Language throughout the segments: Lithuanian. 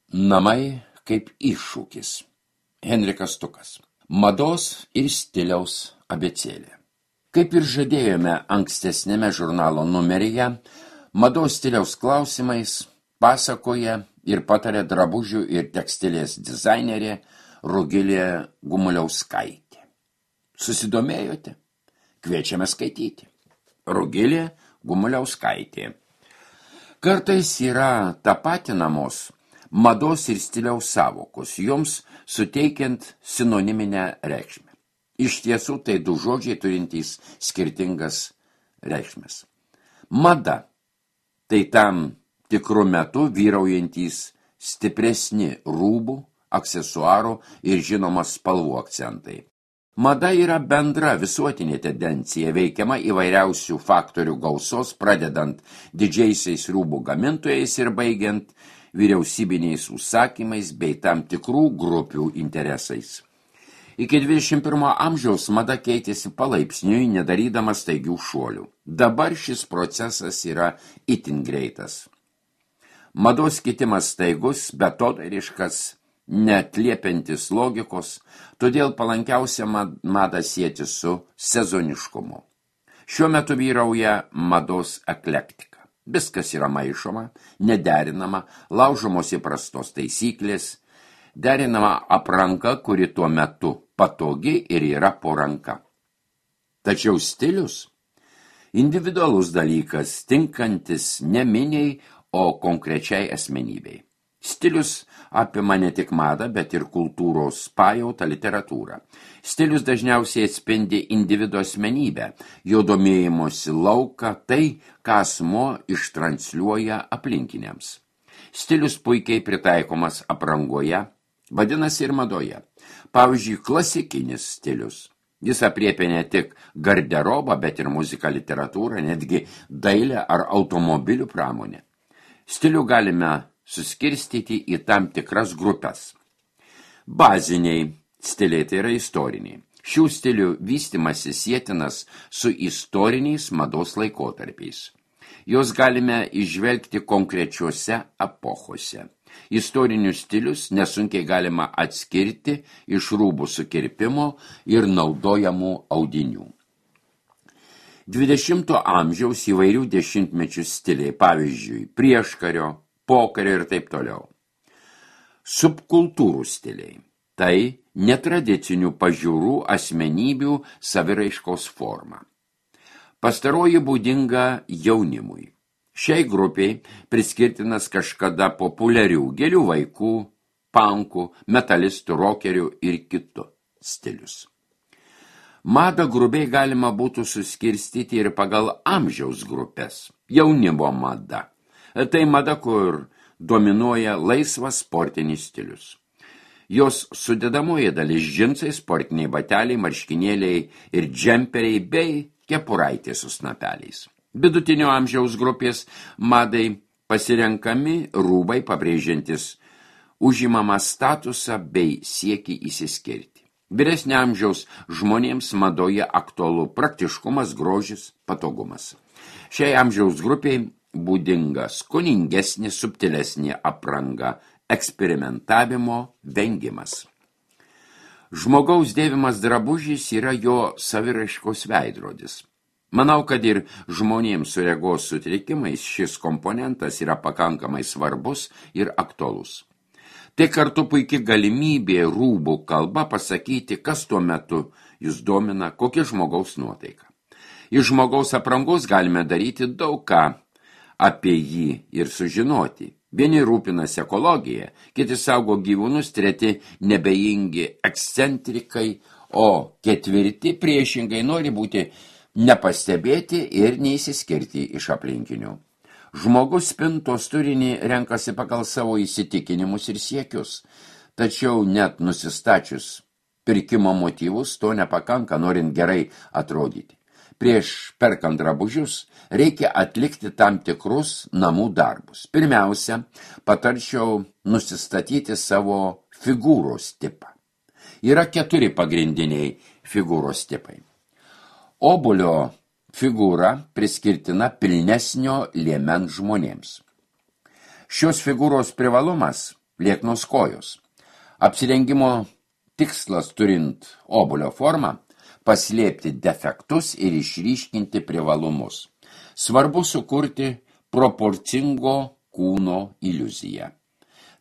Namai kaip iššūkis. Henrikas Stukas. Mados ir stiliaus abėcėlė. Kaip ir žadėjome ankstesnėme žurnalo numeryje, mados stiliaus klausimais pasakoja ir patarė drabužių ir tekstilės dizainerė Rugilė Gumuliauskaitė. Susidomėjote? Kviečiame skaityti. Rugilė Gumuliauskaitė. Kartais yra tapatinamos mados ir stiliaus sąvokos, joms suteikiant sinoniminę reikšmę. Iš tiesų tai du žodžiai turintys skirtingas reikšmes. Mada – tai tam tikru metu vyraujantys stipresni rūbų, aksesuarų ir žinomas spalvų akcentai. Mada yra bendra visuotinė tendencija, veikiama įvairiausių faktorių gausos, pradedant didžiaisiais rūbų gamintojais ir baigiant vyriausybiniais užsakymais bei tam tikrų grupių interesais. Iki 21 amžiaus mada keitėsi palaipsniui, nedarydama staigių šuolių. Dabar šis procesas yra itin greitas. Mados kitimas staigus, beatodairiškas, neatliepiantis logikos, todėl palankiausia madą sieti su sezoniškumu. Šiuo metu vyrauja mados eklektika. Viskas yra maišoma, nederinama, laužomos įprastos taisyklės, derinama apranga, kuri tuo metu patogi ir yra po ranka. Tačiau stilius – individualus dalykas, tinkantis ne miniai, o konkrečiai asmenybei. Stilius apima ne tik madą, bet ir kultūros pajautą, literatūrą. Stilius dažniausiai atspindi individo asmenybę, jo domėjimosi lauką, tai, ką asmuo ištransliuoja aplinkiniams. Stilius puikiai pritaikomas aprangoje, vadinasi ir madoje. Pavyzdžiui, klasikinis stilius. Jis apriepia ne tik garderobą, bet ir muziką, literatūrą, netgi dailę ar automobilių pramonę. Stilių galime suskirstyti į tam tikras grupės. Baziniai stiliai tai yra istoriniai. Šių stilių vystimasis sietinas su istoriniais mados laikotarpiais. Jos galime įžvelgti konkrečiuose epochose. Istorinius stilius nesunkiai galima atskirti iš rūbų sukirpimo ir naudojamų audinių. 20 amžiaus įvairių dešimtmečių stiliai, pavyzdžiui, prieškario, pokario ir taip toliau. Subkultūrų stiliai – tai netradicinių pažiūrų asmenybių saviraiškos forma. Pastaroji būdinga jaunimui. Šiai grupiai priskirtinas kažkada populiarių gėlių vaikų, punkų, metalistų, rokerių ir kitų stilius. Madą grubiai galima būtų suskirstyti ir pagal amžiaus grupės. Jaunimo mada. Tai mada, kur dominuoja laisvas sportinis stilius. Jos sudedamoji dalis džinsai, sportiniai bateliai, marškinėliai ir džemperiai bei kepuraitės su snapeliais. Vidutinio amžiaus grupės madai pasirenkami rūbai pabrėžiantis užimamą statusą bei siekį įsiskirti. Vyresnio amžiaus žmonėms madoje aktualu praktiškumas, grožis, patogumas. Šiai amžiaus grupiai būdinga skoningesnė, subtilesnė apranga, eksperimentavimo vengimas. Žmogaus dėvimas drabužis yra jo saviraiškos veidrodis. Manau, kad ir žmonėms su regos sutrikimais šis komponentas yra pakankamai svarbus ir aktualus. Tai kartu puikia galimybė rūbų kalba pasakyti, kas tuo metu jūs domina, kokia žmogaus nuotaika. Iš žmogaus aprangos galime daryti daug ką apie jį ir sužinoti. Vieni rūpinasi ekologija, kiti saugo gyvūnus, treti nebejingi ekscentrikai, o ketvirti priešingai nori būti nepastebėti ir neįsiskirti iš aplinkinių. Žmogus spintos turinį renkasi pagal savo įsitikinimus ir siekius, tačiau net nusistačius pirkimo motyvus to nepakanka, norint gerai atrodyti. Prieš perkant drabužius reikia atlikti tam tikrus namų darbus. Pirmiausia, patarčiau nusistatyti savo figūros tipą. Yra 4 pagrindiniai figūros tipai. Obuolio figūra priskirtina pilnesnio liemens žmonėms. Šios figūros privalumas lieknos kojos. Apsirengimo tikslas turint obuolio formą – paslėpti defektus ir išryškinti privalumus. Svarbu sukurti proporcingo kūno iliuziją.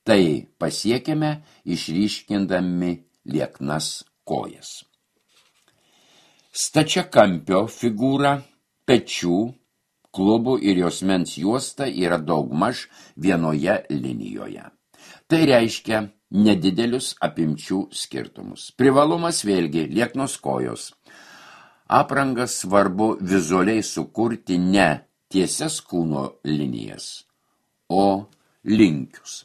Tai pasiekėme išryškindami lieknas kojas. Stačiakampio figūra, pečių, klubų ir juosmens juosta yra daugmaž vienoje linijoje. Tai reiškia nedidelius apimčių skirtumus. Privalumas vėlgi lieknos kojos. Aprangas svarbu vizualiai sukurti ne tiesias kūno linijas, o linkius.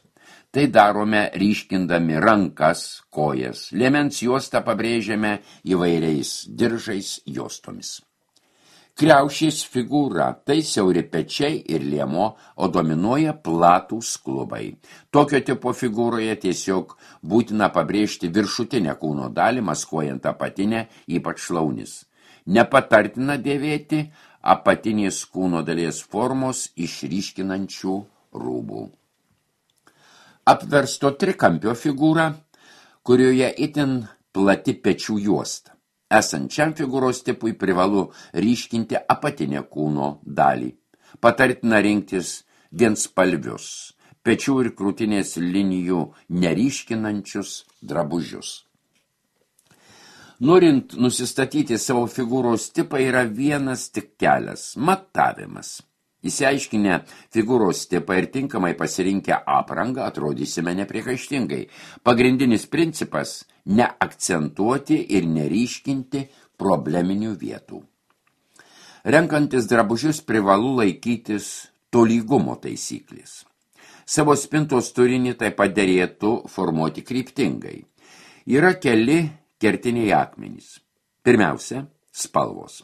Tai darome ryškindami rankas, kojas. Liemens juostą pabrėžiame įvairiais diržais juostomis. Kriaušės figūra – tai siauri pečiai ir liemo, o dominuoja platūs klubai. Tokio tipo figūroje tiesiog būtina pabrėžti viršutinę kūno dalį, maskuojant apatinę, ypač šlaunis. Nepatartina dėvėti apatinės kūno dalies formos išryškinančių rūbų. Apversto trikampio figūra, kurioje itin plati pečių juosta. Esant šiam figūros tipui privalu ryškinti apatinę kūno dalį. Patartina rinktis vienspalvius, pečių ir krūtinės linijų neryškinančius drabužius. Norint nusistatyti savo figūros tipą yra vienas tik kelias – matavimas. Įsiaiškinę figūros tipą ir tinkamai pasirinkę aprangą atrodysime nepriekaištingai. Pagrindinis principas – neakcentuoti ir neryškinti probleminių vietų. Renkantis drabužius privalu laikytis tolygumo taisyklės. Savo spintos turinį taip pat derėtų formuoti kryptingai. Yra keli kertiniai akmenys. Pirmiausia – spalvos.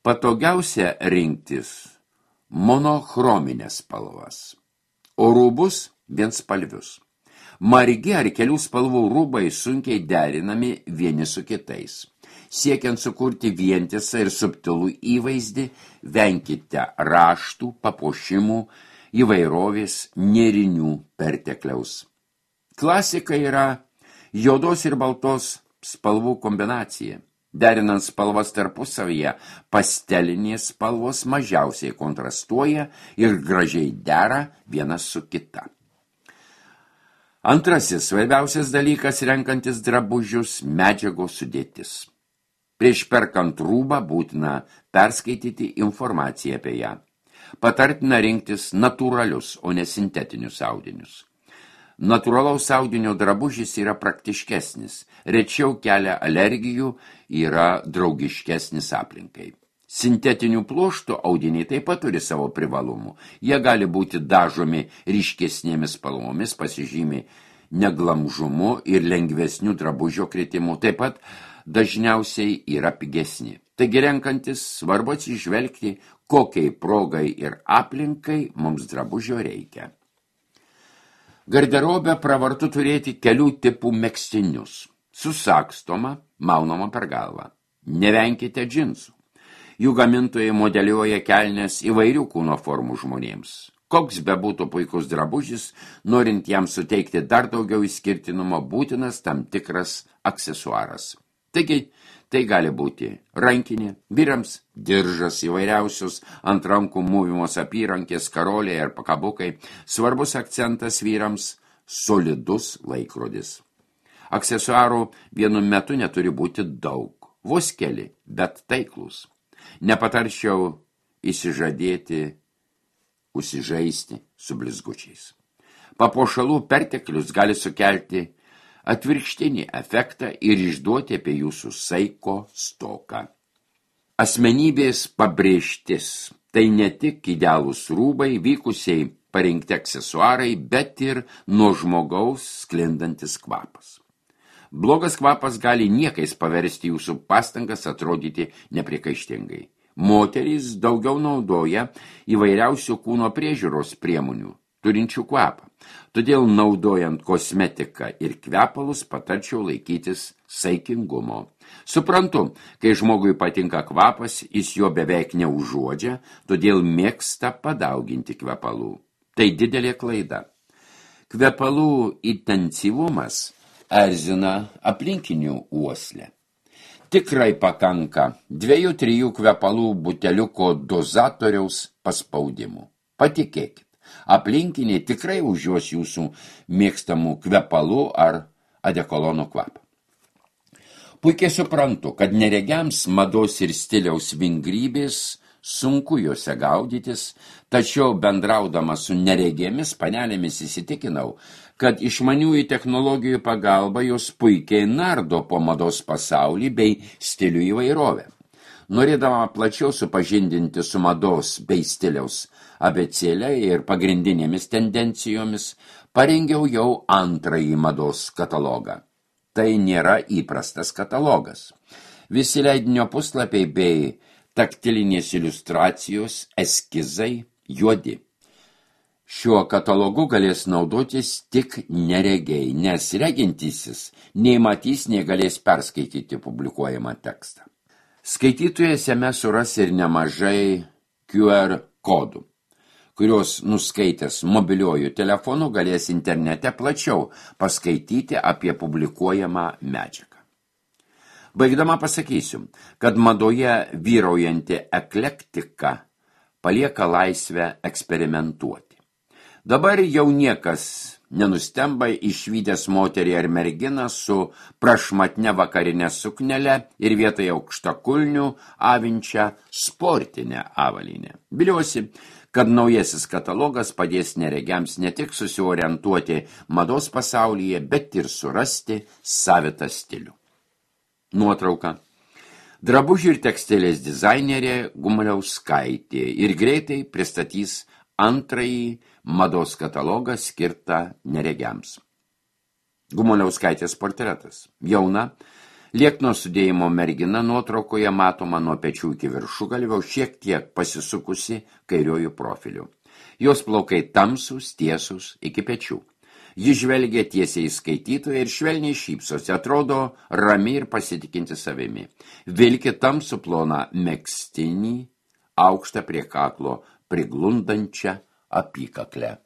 Patogiausia rinktis monochrominės spalvas, o rūbus vienspalvius. Margi ar kelių spalvų rūbai sunkiai derinami vieni su kitais. Siekiant sukurti vientisą ir subtilų įvaizdį, venkite raštų, papuošimų, įvairovės, nėrinių pertekliaus. Klasika yra juodos ir baltos spalvų kombinacija. Derinant spalvas tarpusavyje, pastelinės spalvos mažiausiai kontrastuoja ir gražiai dera vienas su kita. Antrasis svarbiausias dalykas renkantis drabužius – medžiagos sudėtis. Prieš perkant rūbą būtina perskaityti informaciją apie ją. Patartina rinktis natūralius, o ne sintetinius audinius. Natūralaus audinio drabužis yra praktiškesnis, rečiau kelia alergijų, yra draugiškesnis aplinkai. Sintetinių pluoštų audiniai taip pat turi savo privalumų. Jie gali būti dažomi ryškesnėmis spalvomis, pasižymi neglamžumu ir lengvesnių drabužio kritimu, taip pat dažniausiai yra pigesni. Taigi renkantis svarbu atsižvelgti, kokiai progai ir aplinkai mums drabužio reikia. Garderobę pravartu turėti kelių tipų megztinius. Susagstoma, maunama per galvą. Nevenkite džinsų. Jų gamintojai modeliuoja kelnes įvairių kūno formų žmonėms. Koks bebūtų puikus drabužis, norint jam suteikti dar daugiau išskirtinumo, būtinas tam tikras aksesuaras. Taigi, tai gali būti rankinė, vyrams diržas įvairiausius ant rankų mūvimos apyrankės, karoliai ar pakabukai. Svarbus akcentas vyrams – solidus laikrodis. Aksesuarų vienu metu neturi būti daug, vos keli, bet taiklus. Nepatarčiau įsižadėti, užsižaisti su blizgučiais. Papuošalų perteklius gali sukelti atvirkštinį efektą ir išduoti apie jūsų saiko stoką. Asmenybės pabrėžtis – tai ne tik idealūs rūbai, vykusiai parinkti aksesuarai, bet ir nuo žmogaus sklindantis kvapas. Blogas kvapas gali niekais paversti jūsų pastangas atrodyti nepriekaištingai. Moterys daugiau naudoja įvairiausių kūno priežiūros priemonių, turinčių kvapą. Todėl naudojant kosmetiką ir kvepalus patarčiau laikytis saikingumo. Suprantu, kai žmogui patinka kvapas, jis jo beveik neužuodžia, todėl mėgsta padauginti kvepalų. Tai didelė klaida. Kvepalų intensyvumas erzina aplinkinių uoslę. Tikrai pakanka 2-3 kvepalų buteliuko dozatoriaus paspaudimų. Patikėkit, aplinkiniai tikrai užjuos jūsų mėgstamų kvepalų ar adekolono kvapą. Puikiai suprantu, kad neregiams mados ir stiliaus vingrybės sunku juose gaudytis, tačiau bendraudamas su neregėmis panelėmis įsitikinau, kad išmaniųjų technologijų pagalba jos puikiai nardo po mados pasaulį bei stilių įvairovę. Norėdama plačiau supažindinti su mados bei stiliaus abėcėle ir pagrindinėmis tendencijomis, parengiau jau antrąjį mados katalogą. Tai nėra įprastas katalogas. Visi leidinio puslapiai bei taktilinės iliustracijos, eskizai juodi. Šiuo katalogu galės naudotis tik neregiai, nes regintysis nei matys, nei galės perskaityti publikuojamą tekstą. Skaitytojas jame suras ir nemažai QR kodų, kurios nuskaitęs mobiliuoju telefonu galės internete plačiau paskaityti apie publikuojamą medžiagą. Baigdama pasakysiu, kad madoje vyraujanti eklektika palieka laisvę eksperimentuoti. Dabar jau niekas nenustemba išvydęs moterį ar merginą su prašmatne vakarinė suknele ir vietoje aukštakulnių avinčią sportinę avalynę. Viliuosi, kad naujasis katalogas padės neregiams ne tik susiorientuoti mados pasaulyje, bet ir surasti savitą stilių. Nuotrauka. Drabužių ir tekstilės dizainerė Gumaliauskaitė ir greitai pristatys antrąjį mados katalogą skirtą neregiams. Gumaliauskaitės portretas. Jauna, liekno sudėjimo mergina nuotraukoje matoma nuo pečių iki viršugalvio, šiek tiek pasisukusi kairiojų profiliu. Jos plaukai tamsūs, tiesūs iki pečių. Ji žvelgia tiesiai į skaitytoją ir švelniai šypsosi, atrodo rami ir pasitikinti savimi. Vilki tamsų ploną megztinį, aukštą prie kaklo priglundančią apykaklę.